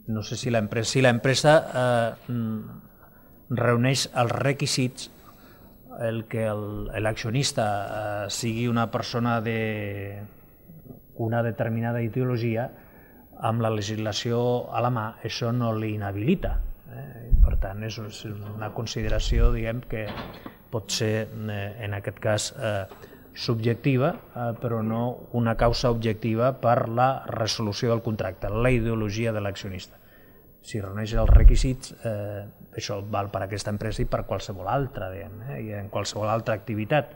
no sé si l'empresa reuneix els requisits el que l'accionista sigui una persona d'una determinada ideologia, amb la legislació a la mà això no l'inhabilita. Per tant, és una consideració, diguem, que pot ser, en aquest cas, subjectiva, però no una causa objectiva per la resolució del contracte, la ideologia de l'accionista. Si reuneix els requisits, això val per a aquesta empresa i per a qualsevol altra, i en qualsevol altra activitat.